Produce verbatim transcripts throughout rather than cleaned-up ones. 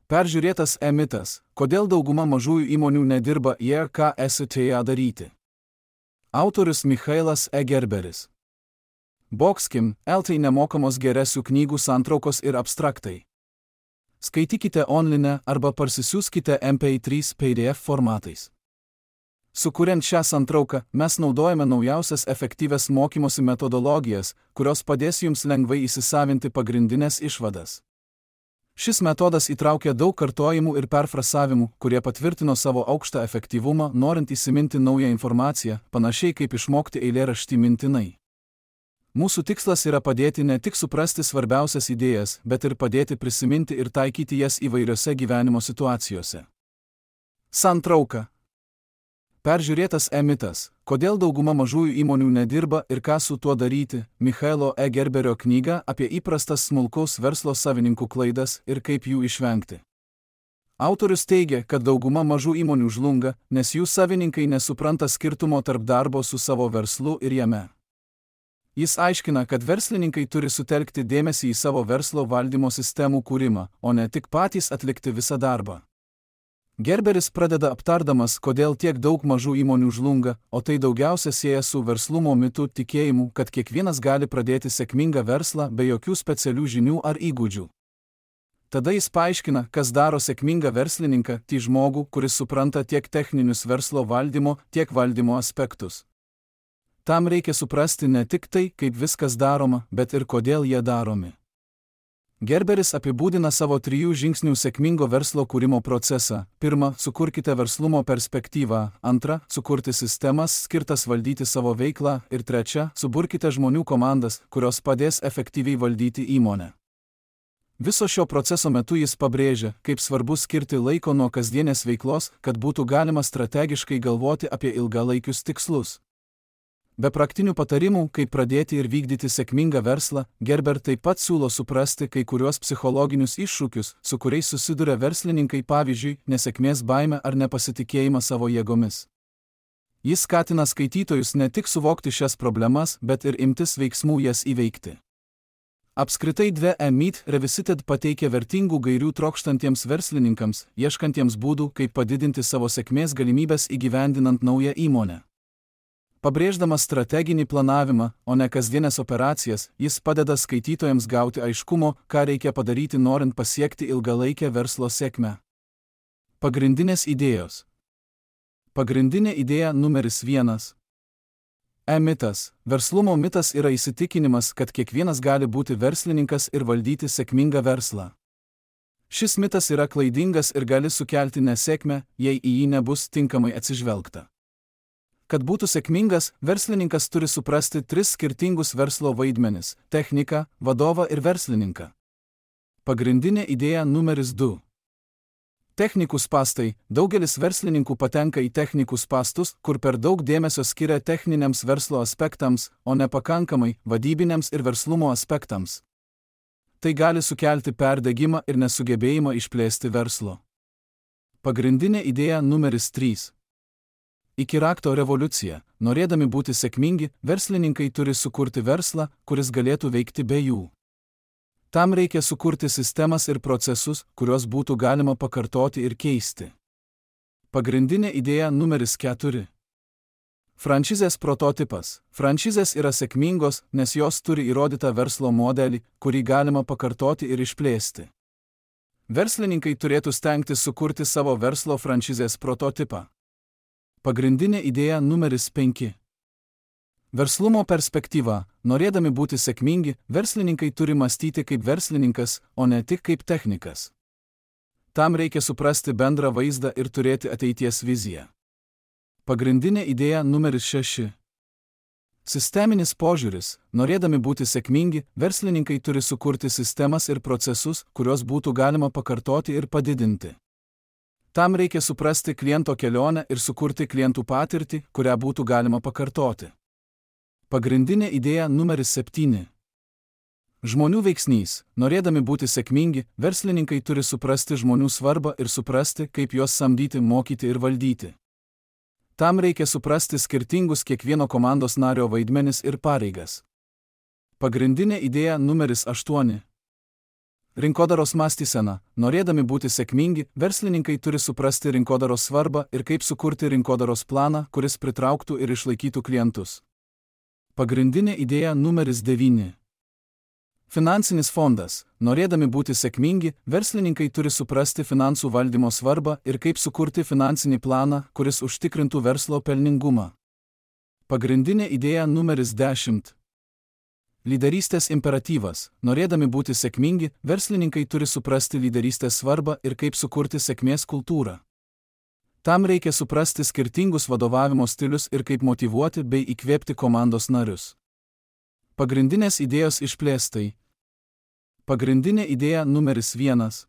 Peržiūrėtas e-mitas, kodėl dauguma mažųjų įmonių nedirba ir ką esate ją daryti. Autorius Michailas E. Gerberis. Boxkim, eltai nemokamos geresių knygų santraukos ir abstraktai. Skaitykite online arba parsisiųskite M P trys P D F formatais. Sukuriant šią santrauką, mes naudojame naujausias efektyvias mokymosi metodologijas, kurios padės jums lengvai įsisavinti pagrindinės išvadas. Šis metodas įtraukia daug kartojimų ir perfrasavimų, kurie patvirtino savo aukštą efektyvumą, norint įsiminti naują informaciją, panašiai kaip išmokti eilėraštį mintinai. Mūsų tikslas yra padėti ne tik suprasti svarbiausias idėjas, bet ir padėti prisiminti ir taikyti jas įvairiose gyvenimo situacijose. Santrauka. Peržiūrėtas e-mitas, kodėl dauguma mažųjų įmonių nedirba ir ką su tuo daryti, Michailo E. Gerberio knyga apie įprastas smulkaus verslo savininkų klaidas ir kaip jų išvengti. Autorius teigia, kad dauguma mažų įmonių žlunga, nes jų savininkai nesupranta skirtumo tarp darbo su savo verslu ir jame. Jis aiškina, kad verslininkai turi sutelkti dėmesį į savo verslo valdymo sistemų kūrimą, o ne tik patys atlikti visą darbą. Gerberis pradeda aptardamas, kodėl tiek daug mažų įmonių žlunga, o tai daugiausia sieja su verslumo mitu tikėjimu, kad kiekvienas gali pradėti sėkmingą verslą be jokių specialių žinių ar įgūdžių. Tada jis paaiškina, kas daro sėkmingą verslininką, tai žmogų, kuris supranta tiek techninius verslo valdymo, tiek valdymo aspektus. Tam reikia suprasti ne tik tai, kaip viskas daroma, bet ir kodėl jie daromi. Gerberis apibūdina savo trijų žingsnių sėkmingo verslo kūrimo procesą. Pirma, sukurkite verslumo perspektyvą. Antra, sukurti sistemas skirtas valdyti savo veiklą. Ir trečia, suburkite žmonių komandas, kurios padės efektyviai valdyti įmonę. Viso šio proceso metu jis pabrėžia, kaip svarbu skirti laiko nuo kasdienės veiklos, kad būtų galima strategiškai galvoti apie ilgalaikius tikslus. Be praktinių patarimų, kaip pradėti ir vykdyti sėkmingą verslą, Gerber taip pat siūlo suprasti kai kuriuos psichologinius iššūkius, su kuriais susiduria verslininkai, pavyzdžiui, nesėkmės baimę ar nepasitikėjimą savo jėgomis. Jis skatina skaitytojus ne tik suvokti šias problemas, bet ir imtis veiksmų jas įveikti. Apskritai dvi e-mit Revisited pateikia vertingų gairių trokštantiems verslininkams, ieškantiems būdų, kaip padidinti savo sėkmės galimybes įgyvendinant naują įmonę. Pabrėždamas strateginį planavimą, o ne kasdienės operacijas, jis padeda skaitytojams gauti aiškumo, ką reikia padaryti norint pasiekti ilgalaikę verslo sėkmę. Pagrindinės idėjos. Pagrindinė idėja numeris vienas. E-mitas. Verslumo mitas yra įsitikinimas, kad kiekvienas gali būti verslininkas ir valdyti sėkmingą verslą. Šis mitas yra klaidingas ir gali sukelti nesėkmę, jei į jį nebus tinkamai atsižvelgta. Kad būtų sėkmingas, verslininkas turi suprasti tris skirtingus verslo vaidmenis – techniką, vadovą ir verslininką. Pagrindinė idėja numeris du. Technikų spąstai. Daugelis verslininkų patenka į technikų spąstus, kur per daug dėmesio skiria techniniams verslo aspektams, o nepakankamai vadybiniams ir verslumo aspektams. Tai gali sukelti perdegimą ir nesugebėjimą išplėsti verslo. Pagrindinė idėja numeris trys. Iki rakto revoliucija. Norėdami būti sėkmingi, verslininkai turi sukurti verslą, kuris galėtų veikti be jų. Tam reikia sukurti sistemas ir procesus, kuriuos būtų galima pakartoti ir keisti. Pagrindinė idėja numeris keturi. Franšizės prototipas. Franšizės yra sėkmingos, nes jos turi įrodytą verslo modelį, kurį galima pakartoti ir išplėsti. Verslininkai turėtų stengtis sukurti savo verslo franšizės prototipą. Pagrindinė idėja numeris penki. Verslumo perspektyva. Norėdami būti sėkmingi, verslininkai turi mąstyti kaip verslininkas, o ne tik kaip technikas. Tam reikia suprasti bendrą vaizdą ir turėti ateities viziją. Pagrindinė idėja numeris šeši. Sisteminis požiūris. Norėdami būti sėkmingi, verslininkai turi sukurti sistemas ir procesus, kuriuos būtų galima pakartoti ir padidinti. Tam reikia suprasti kliento kelionę ir sukurti klientų patirtį, kurią būtų galima pakartoti. Pagrindinė idėja numeris septyni. Žmonių veiksnys. Norėdami būti sėkmingi, verslininkai turi suprasti žmonių svarbą ir suprasti, kaip juos samdyti, mokyti ir valdyti. Tam reikia suprasti skirtingus kiekvieno komandos nario vaidmenis ir pareigas. Pagrindinė idėja numeris aštuoni. Rinkodaros mąstysena. Norėdami būti sėkmingi, verslininkai turi suprasti rinkodaros svarbą ir kaip sukurti rinkodaros planą, kuris pritrauktų ir išlaikytų klientus. Pagrindinė idėja numeris devyni. Finansinis fondas. Norėdami būti sėkmingi, verslininkai turi suprasti finansų valdymo svarbą ir kaip sukurti finansinį planą, kuris užtikrintų verslo pelningumą. Pagrindinė idėja numeris dešimt. Lyderystės imperatyvas. Norėdami būti sėkmingi, verslininkai turi suprasti lyderystės svarbą ir kaip sukurti sėkmės kultūrą. Tam reikia suprasti skirtingus vadovavimo stilius ir kaip motyvuoti bei įkvėpti komandos narius. Pagrindinės idėjos išplėstai. Pagrindinė idėja numeris vienas.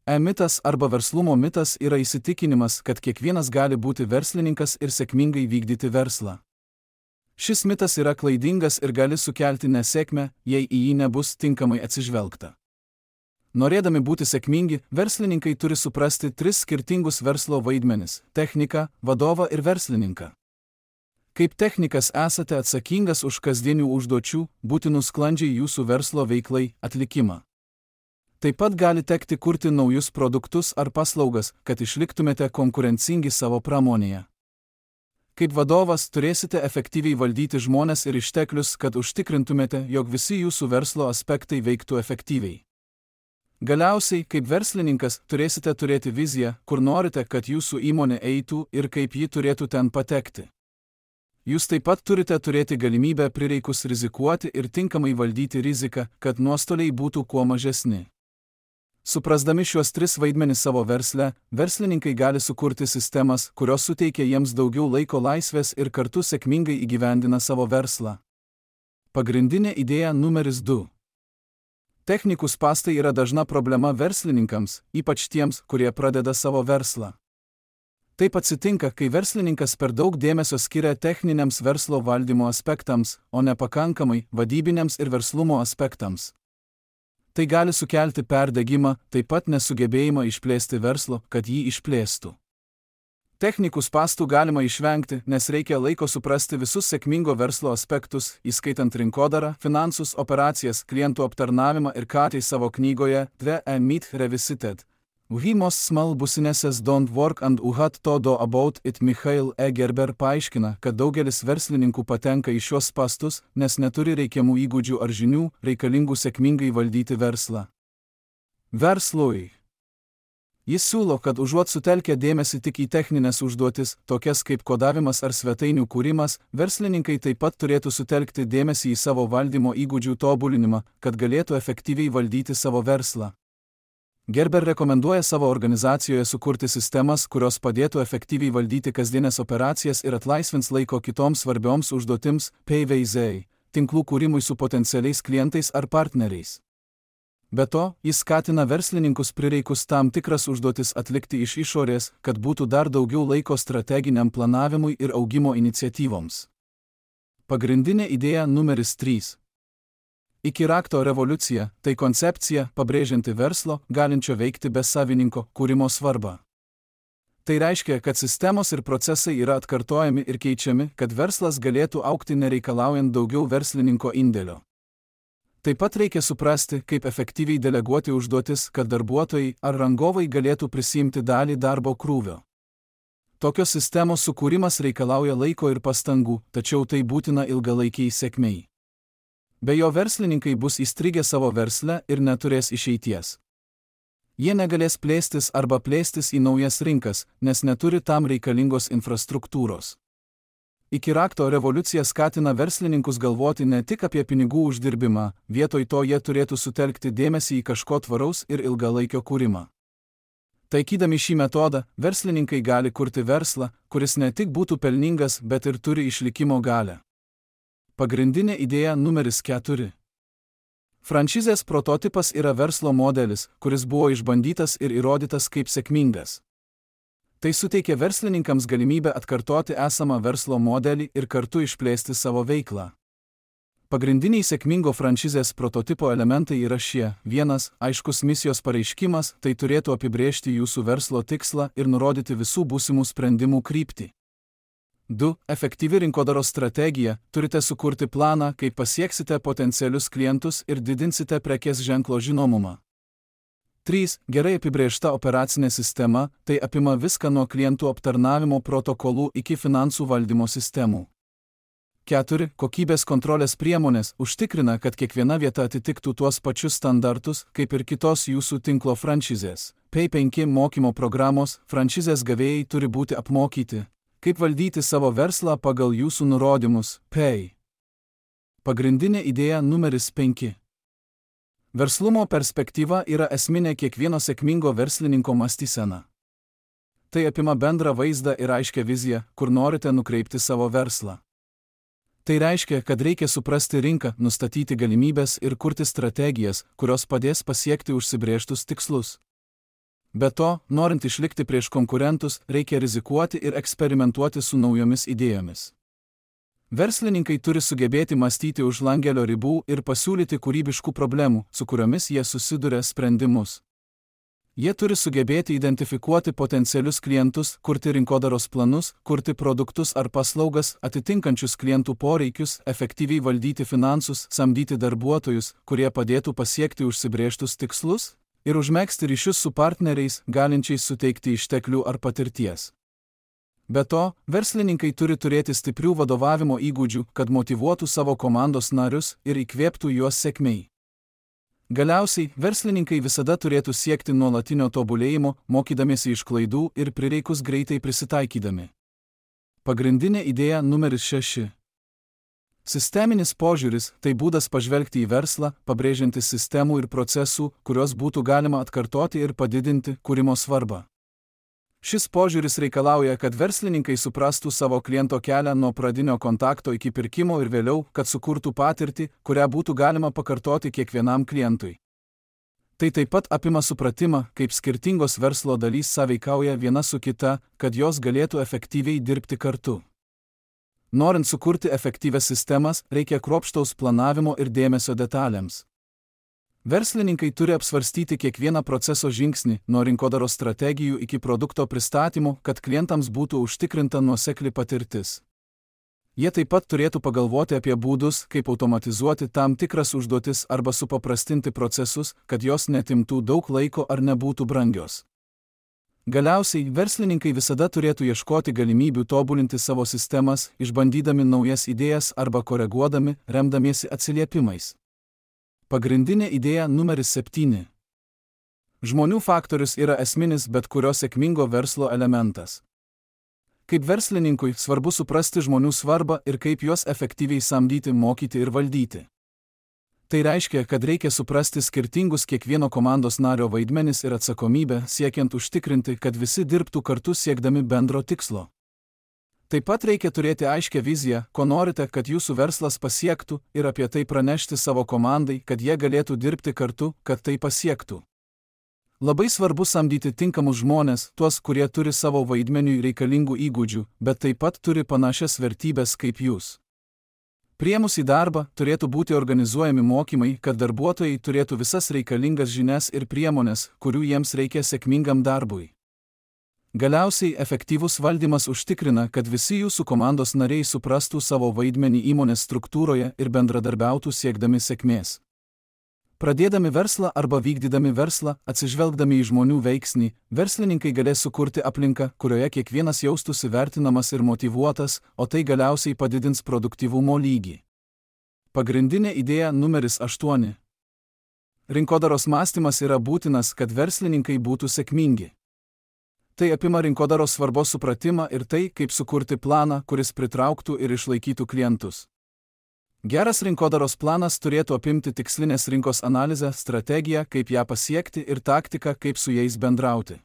E-mitas arba verslumo mitas yra įsitikinimas, kad kiekvienas gali būti verslininkas ir sėkmingai vykdyti verslą. Šis mitas yra klaidingas ir gali sukelti nesėkmę, jei į jį nebus tinkamai atsižvelgta. Norėdami būti sėkmingi, verslininkai turi suprasti tris skirtingus verslo vaidmenis – techniką, vadovą ir verslininką. Kaip technikas esate atsakingas už kasdienių užduočių, būtinų sklandžiai jūsų verslo veiklai atlikimą. Taip pat gali tekti kurti naujus produktus ar paslaugas, kad išliktumėte konkurencingi savo pramonėje. Kaip vadovas turėsite efektyviai valdyti žmones ir išteklius, kad užtikrintumėte, jog visi jūsų verslo aspektai veiktų efektyviai. Galiausiai, kaip verslininkas, turėsite turėti viziją, kur norite, kad jūsų įmonė eitų ir kaip ji turėtų ten patekti. Jūs taip pat turite turėti galimybę prireikus rizikuoti ir tinkamai valdyti riziką, kad nuostoliai būtų kuo mažesni. Suprasdami šiuos tris vaidmenis savo versle, verslininkai gali sukurti sistemas, kurios suteikia jiems daugiau laiko laisvės ir kartu sėkmingai įgyvendina savo verslą. Pagrindinė idėja numeris du. Technikų spąstai yra dažna problema verslininkams, ypač tiems, kurie pradeda savo verslą. Taip atsitinka, kai verslininkas per daug dėmesio skiria techniniams verslo valdymo aspektams, o nepakankamai vadybiniams ir verslumo aspektams. Tai gali sukelti perdegimą, taip pat nesugebėjimą išplėsti verslo, kad jį išplėstų. Technikų spąstų galima išvengti, nes reikia laiko suprasti visus sėkmingo verslo aspektus, įskaitant rinkodarą, finansus, operacijas, klientų aptarnavimą ir ką tai savo knygoje The E-Myth Revisited. We most small businesses don't work and who had to do about it. Michael E. Gerber paaiškina, kad daugelis verslininkų patenka į šios spąstus, nes neturi reikiamų įgūdžių ar žinių, reikalingų sėkmingai valdyti verslą. Verslui. Jis siūlo, kad užuot sutelkę dėmesį tik į techninės užduotis, tokias kaip kodavimas ar svetainių kūrimas, verslininkai taip pat turėtų sutelkti dėmesį į savo valdymo įgūdžių tobulinimą, kad galėtų efektyviai valdyti savo verslą. Gerber rekomenduoja savo organizacijoje sukurti sistemas, kurios padėtų efektyviai valdyti kasdienės operacijas ir atlaisvins laiko kitoms svarbioms užduotims, P V Z, tinklų kūrimui su potencialiais klientais ar partneriais. Be to, jis skatina verslininkus prireikus tam tikras užduotis atlikti iš išorės, kad būtų dar daugiau laiko strateginiam planavimui ir augimo iniciatyvoms. Pagrindinė idėja numeris trys. Iki rakto revoliucija – tai koncepcija, pabrėžianti verslo, galinčio veikti be savininko, kūrimo svarbą. Tai reiškia, kad sistemos ir procesai yra atkartojami ir keičiami, kad verslas galėtų augti nereikalaujant daugiau verslininko indėlio. Taip pat reikia suprasti, kaip efektyviai deleguoti užduotis, kad darbuotojai ar rangovai galėtų prisiimti dalį darbo krūvio. Tokios sistemos sukūrimas reikalauja laiko ir pastangų, tačiau tai būtina ilgalaikiai sėkmei. Be jo verslininkai bus įstrigę savo versle ir neturės išeities. Jie negalės plėstis arba plėstis į naujas rinkas, nes neturi tam reikalingos infrastruktūros. Iki rakto revoliucija skatina verslininkus galvoti ne tik apie pinigų uždirbimą, vietoj to jie turėtų sutelkti dėmesį į kažko tvaraus ir ilgalaikio kūrimą. Taikydami šį metodą, verslininkai gali kurti verslą, kuris ne tik būtų pelningas, bet ir turi išlikimo galią. Pagrindinė idėja numeris keturi. Franšizės prototipas yra verslo modelis, kuris buvo išbandytas ir įrodytas kaip sėkmingas. Tai suteikia verslininkams galimybę atkartoti esamą verslo modelį ir kartu išplėsti savo veiklą. Pagrindiniai sėkmingo franšizės prototipo elementai yra šie. Vienas, aiškus misijos pareiškimas, tai turėtų apibrėžti jūsų verslo tikslą ir nurodyti visų būsimų sprendimų kryptį. du Efektyvi rinkodaros strategija. Turite sukurti planą, kaip pasieksite potencialius klientus ir didinsite prekės ženklo žinomumą. trys Gerai apibrėžta operacinė sistema. Tai apima viską nuo klientų aptarnavimo protokolų iki finansų valdymo sistemų. keturi Kokybės kontrolės priemonės užtikrina, kad kiekviena vieta atitiktų tuos pačius standartus, kaip ir kitos jūsų tinklo franšizės. penki Mokymo programos. Franšizės gavėjai turi būti apmokyti, kaip valdyti savo verslą pagal jūsų nurodymus. Pay. Pagrindinė idėja numeris penki. Verslumo perspektyva yra esminė kiekvieno sėkmingo verslininko mąstysena. Tai apima bendrą vaizdą ir aiškią viziją, kur norite nukreipti savo verslą. Tai reiškia, kad reikia suprasti rinką, nustatyti galimybės ir kurti strategijas, kurios padės pasiekti užsibrėžtus tikslus. Be to, norint išlikti prieš konkurentus, reikia rizikuoti ir eksperimentuoti su naujomis idėjomis. Verslininkai turi sugebėti mąstyti už langelio ribų ir pasiūlyti kūrybiškų problemų, su kuriomis jie susiduria, sprendimus. Jie turi sugebėti identifikuoti potencialius klientus, kurti rinkodaros planus, kurti produktus ar paslaugas, atitinkančius klientų poreikius, efektyviai valdyti finansus, samdyti darbuotojus, kurie padėtų pasiekti užsibrėžtus tikslus, ir užmegzti ryšius su partneriais, galinčiais suteikti išteklių ar patirties. Be to, verslininkai turi turėti stiprių vadovavimo įgūdžių, kad motyvuotų savo komandos narius ir įkvėptų juos sėkmei. Galiausiai, verslininkai visada turėtų siekti nuolatinio tobulėjimo, mokydamiesi iš klaidų ir prireikus greitai prisitaikydami. Pagrindinė idėja numeris šeši. Sisteminis požiūris – tai būdas pažvelgti į verslą, pabrėžiantis sistemų ir procesų, kuriuos būtų galima atkartoti ir padidinti kūrimo svarbą. Šis požiūris reikalauja, kad verslininkai suprastų savo kliento kelią nuo pradinio kontakto iki pirkimo ir vėliau, kad sukurtų patirtį, kurią būtų galima pakartoti kiekvienam klientui. Tai taip pat apima supratimą, kaip skirtingos verslo dalys sąveikauja viena su kita, kad jos galėtų efektyviai dirbti kartu. Norint sukurti efektyvias sistemas, reikia kruopštaus planavimo ir dėmesio detalėms. Verslininkai turi apsvarstyti kiekvieną proceso žingsnį, nuo rinkodaros strategijų iki produkto pristatymo, kad klientams būtų užtikrinta nuosekli patirtis. Jie taip pat turėtų pagalvoti apie būdus, kaip automatizuoti tam tikras užduotis arba supaprastinti procesus, kad jos netimtų daug laiko ar nebūtų brangios. Galiausiai, verslininkai visada turėtų ieškoti galimybių tobulinti savo sistemas, išbandydami naujas idėjas arba koreguodami, remdamiesi atsiliepimais. Pagrindinė idėja numeris septyni. Žmonių faktorius yra esminis bet kurio sėkmingo verslo elementas. Kaip verslininkui svarbu suprasti žmonių svarbą ir kaip juos efektyviai samdyti, mokyti ir valdyti. Tai reiškia, kad reikia suprasti skirtingus kiekvieno komandos nario vaidmenis ir atsakomybę, siekiant užtikrinti, kad visi dirbtų kartu siekdami bendro tikslo. Taip pat reikia turėti aiškią viziją, ko norite, kad jūsų verslas pasiektų, ir apie tai pranešti savo komandai, kad jie galėtų dirbti kartu, kad tai pasiektų. Labai svarbu samdyti tinkamus žmones, tuos, kurie turi savo vaidmeniui reikalingų įgūdžių, bet taip pat turi panašias vertybės kaip jūs. Priėmus į darbą, turėtų būti organizuojami mokymai, kad darbuotojai turėtų visas reikalingas žinias ir priemonės, kurių jiems reikia sėkmingam darbui. Galiausiai, efektyvus valdymas užtikrina, kad visi jūsų komandos nariai suprastų savo vaidmenį įmonės struktūroje ir bendradarbiautų siekdami sėkmės. Pradėdami verslą arba vykdydami verslą, atsižvelgdami į žmonių veiksnį, verslininkai galės sukurti aplinką, kurioje kiekvienas jaustųsi vertinamas ir motyvuotas, o tai galiausiai padidins produktyvumo lygį. Pagrindinė idėja numeris aštuoni. Rinkodaros mąstymas yra būtinas, kad verslininkai būtų sėkmingi. Tai apima rinkodaros svarbos supratimą ir tai, kaip sukurti planą, kuris pritrauktų ir išlaikytų klientus. Geras rinkodaros planas turėtų apimti tikslinės rinkos analizę, strategiją, kaip ją pasiekti ir taktiką, kaip su jais bendrauti.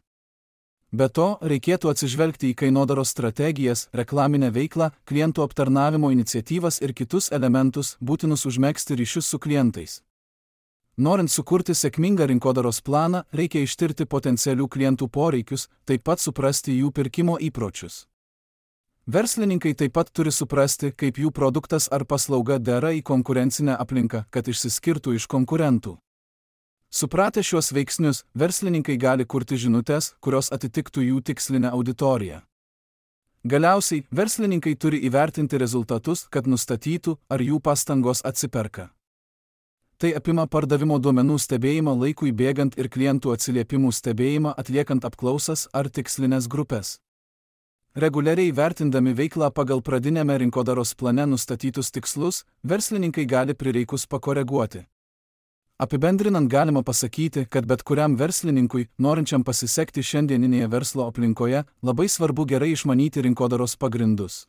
Be to, reikėtų atsižvelgti į kainodaros strategijas, reklaminę veiklą, klientų aptarnavimo iniciatyvas ir kitus elementus, būtinus užmegzti ryšius su klientais. Norint sukurti sėkmingą rinkodaros planą, reikia ištirti potencialių klientų poreikius, taip pat suprasti jų pirkimo įpročius. Verslininkai taip pat turi suprasti, kaip jų produktas ar paslauga dera į konkurencinę aplinką, kad išsiskirtų iš konkurentų. Supratę šiuos veiksnius, verslininkai gali kurti žinutes, kurios atitiktų jų tikslinę auditoriją. Galiausiai, verslininkai turi įvertinti rezultatus, kad nustatytų, ar jų pastangos atsiperka. Tai apima pardavimo duomenų stebėjimą laikui bėgant ir klientų atsiliepimų stebėjimą atliekant apklausas ar tikslinės grupės. Reguliariai vertindami veiklą pagal pradinėme rinkodaros plane nustatytus tikslus, verslininkai gali prireikus pakoreguoti. Apibendrinant galima pasakyti, kad bet kuriam verslininkui, norinčiam pasisekti šiandieninėje verslo aplinkoje, labai svarbu gerai išmanyti rinkodaros pagrindus.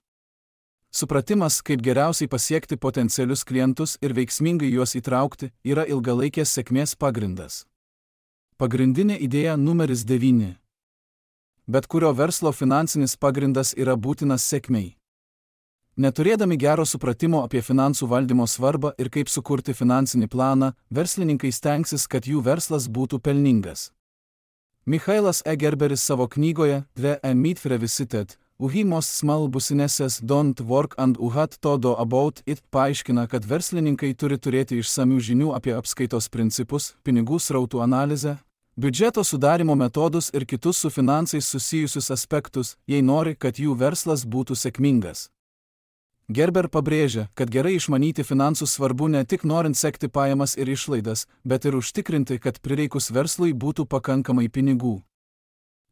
Supratimas, kaip geriausiai pasiekti potencialius klientus ir veiksmingai juos įtraukti, yra ilgalaikės sėkmės pagrindas. Pagrindinė idėja numeris devyni. Bet kurio verslo finansinis pagrindas yra būtinas sėkmei. Neturėdami gero supratimo apie finansų valdymo svarbą ir kaip sukurti finansinį planą, verslininkai stengsis, kad jų verslas būtų pelningas. Michailas E. Gerberis savo knygoje The Meat Revisited, Why Most Small Businesses Don't Work and What to Do About It paaiškina, kad verslininkai turi turėti išsamių žinių apie apskaitos principus, pinigų srautų analizę, biudžeto sudarimo metodus ir kitus su finansais susijusius aspektus, jei nori, kad jų verslas būtų sėkmingas. Gerber pabrėžia, kad gerai išmanyti finansus svarbu ne tik norint sekti pajamas ir išlaidas, bet ir užtikrinti, kad prireikus verslui būtų pakankamai pinigų.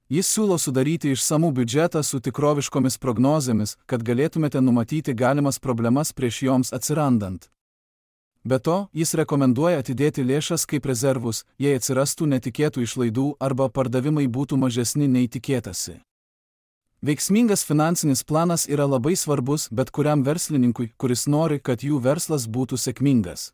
Jis siūlo sudaryti išsamų biudžetą su tikroviškomis prognozėmis, kad galėtumėte numatyti galimas problemas prieš joms atsirandant. Be to, jis rekomenduoja atidėti lėšas kaip rezervus, jei atsirastų netikėtų išlaidų arba pardavimai būtų mažesni nei tikėtasi. Veiksmingas finansinis planas yra labai svarbus bet kuriam verslininkui, kuris nori, kad jų verslas būtų sėkmingas.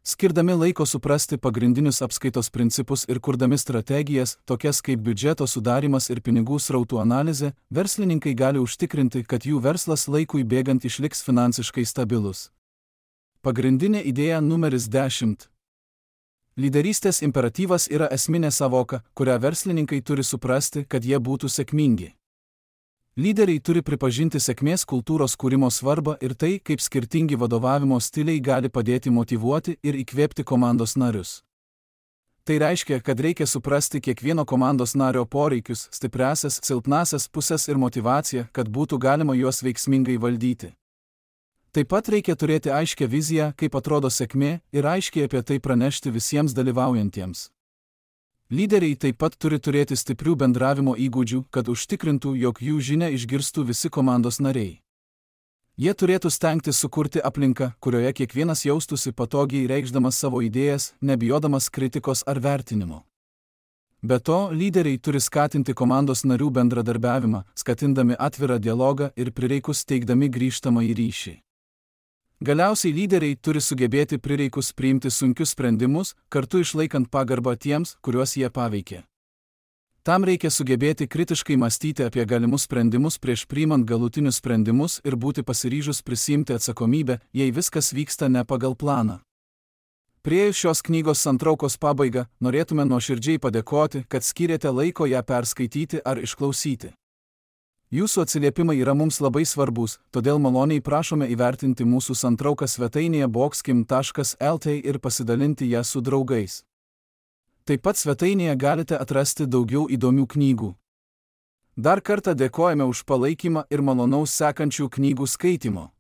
Skirdami laiko suprasti pagrindinius apskaitos principus ir kurdami strategijas, tokias kaip biudžeto sudarimas ir pinigų srautų analizė, verslininkai gali užtikrinti, kad jų verslas laikui bėgant išliks finansiškai stabilus. Pagrindinė idėja numeris dešimt. Lyderystės imperatyvas yra esminė savoka, kurią verslininkai turi suprasti, kad jie būtų sėkmingi. Lyderiai turi pripažinti sėkmės kultūros kūrimo svarbą ir tai, kaip skirtingi vadovavimo stiliai gali padėti motyvuoti ir įkvėpti komandos narius. Tai reiškia, kad reikia suprasti kiekvieno komandos nario poreikius, stipriąsias, silpnąsias pusės ir motyvaciją, kad būtų galima juos veiksmingai valdyti. Taip pat reikia turėti aiškią viziją, kaip atrodo sėkmė, ir aiškiai apie tai pranešti visiems dalyvaujantiems. Lyderiai taip pat turi turėti stiprių bendravimo įgūdžių, kad užtikrintų, jog jų žinią išgirstų visi komandos nariai. Jie turėtų stengtis sukurti aplinką, kurioje kiekvienas jaustųsi patogiai reikšdamas savo idėjas, nebijodamas kritikos ar vertinimo. Be to, lyderiai turi skatinti komandos narių bendradarbiavimą, skatindami atvirą dialogą ir prireikus teikdami grįžtamąjį ryšį. Galiausiai lyderiai turi sugebėti prireikus priimti sunkius sprendimus, kartu išlaikant pagarbą tiems, kuriuos jie paveikė. Tam reikia sugebėti kritiškai mąstyti apie galimus sprendimus prieš priimant galutinius sprendimus ir būti pasiryžus prisiimti atsakomybę, jei viskas vyksta ne pagal planą. Priėjus šios knygos santraukos pabaigą, norėtume nuoširdžiai padėkoti, kad skyrėte laiko ją perskaityti ar išklausyti. Jūsų atsiliepimai yra mums labai svarbus, todėl maloniai prašome įvertinti mūsų santrauką svetainėje boxkim taškas el t ir pasidalinti ją su draugais. Taip pat svetainėje galite atrasti daugiau įdomių knygų. Dar kartą dėkojame už palaikymą ir malonaus sekančių knygų skaitimo.